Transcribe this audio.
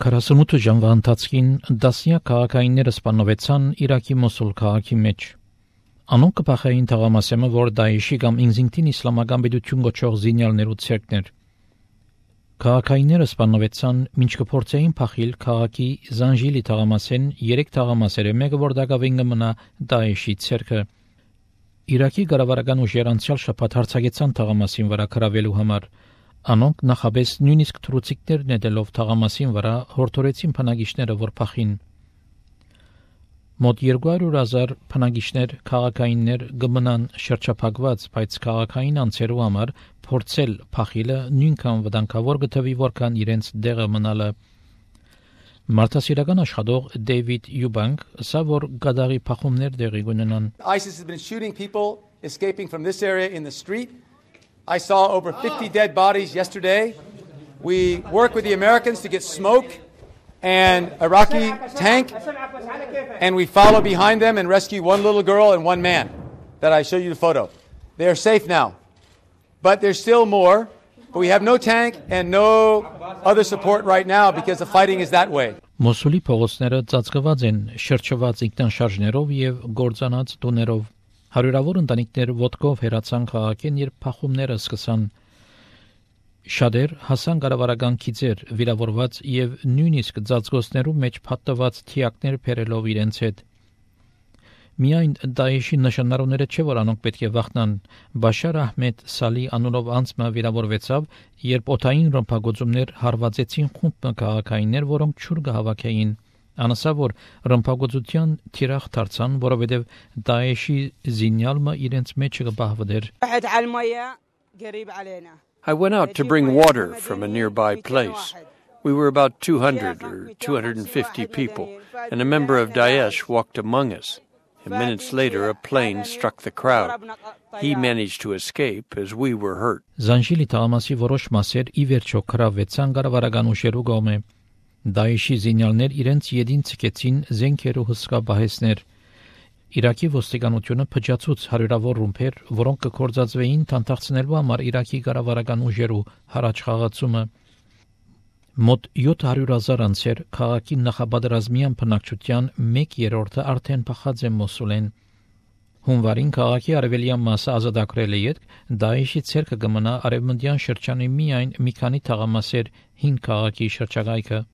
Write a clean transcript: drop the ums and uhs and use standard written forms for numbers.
48 ժամվա ընթացքին դասնյակ քաղաքայինները սպանվեցան Իրաքի Մոսուլ քաղաքի մեջ։ Անոնք կփախեին թաղամասեմը, որ Դաեշի կամ ինքնին իսլամական պետություն գոչող զինյալներու ցերկներ։ Քաղաքայինները սպանվեցան, մինչ կփորձեին փախիլ քաղաքի Զանժիլի թաղամասեն 3 թաղամասերը, մեկը որ դակավին կմնա Դաեշի ցերկը։ Իրաքի կառավարական ուժերը անցյալ շաբաթ հարձակեցան թաղամասին վրա գրավելու համար։ Անոնք նախաբես նույնիսկ թռուցիկներ նետելով թաղամասին վրա հորդորեցին բնակիչները, որ փախին։ Մոտ 200,000 բնակիչներ քաղաքայիններ կմնան շրջափակված, բայց քաղաքային անձերու համար փորձել փախիլը նույնքան վտանգավոր կթվի, որքան իրենց դեղը մնալը։ Մարդասիրական աշխատող Դեյվիդ Յուբանկ ասա, որ գադաղի փախումներ դեղի կունենան։ ISIS has been shooting people escaping from this area in the street. I saw over 50 dead bodies yesterday. We work with the Americans to get smoke and Iraqi tank, and we follow behind them and rescue one little girl and one man that I showed you the photo. They are safe now, but there's still more. But we have no tank and no other support right now because the fighting is that way. Մոսուլի փողոցները ծածկված են շրջված ինքնաշարժներով եւ գործանած տուներով։ Հարյուրավոր ընտանիքներ ոտքով հեռացան քաղաքին, երբ փախումները սկսան։ Շատեր հասան կառավարական քիծեր, վիրավորված եւ նույնիսկ ծածկոցներու մեջ փաթթված թիակներ բերելով իրենց հետ։ Միայն Դաեշի նշանառուները չէ, որ անոնք պետք է վախնան։ Բաշար Ահմեդ Սալի անունով անձը վիրավորվեցավ, երբ օդային ռմբակոծումներ հարվածեցին խումբ քաղաքայիններ, որոնք չուր կհավաքեին։ Անասա, որ ռմբակոծության թիրախ դարձան, որովհետև Դաեշի զինյալը իրենց մեջ կբահվեր։ I went out to bring water from a nearby place. We were about 200 or 250 people, and a member of Daesh walked among us. And minutes later, a plane struck the crowd. He managed to escape as we were hurt. Զանժիլի թաղամասի որոշ մասեր ի վերջո գրավվեցան կառավարական ուժերու կողմէ։ Դաեշի զինյալներ իրենց յետին ցկեցին զենքերու հսկա բահեսներ։ Իրաքի ոստիկանությունը փճացուց հարյուրավոր ռումբեր, որոնք կկործածվեին թանթախցնելու համար Իրաքի կառավարական ուժերու հառաջ խաղացումը։ Մոտ 700,000 անձեր քաղաքի նախապատրազմյան բնակչության 1/3-ը արդեն փախած է Մոսուլեն։ Հունվարին քաղաքի արևելյան մասը ազատագրել է յետ, Դաեշի ցերկը կմնա արևմտյան շրջանի միայն մի քանի թաղամասեր 5 քաղաքի շրջակայքը։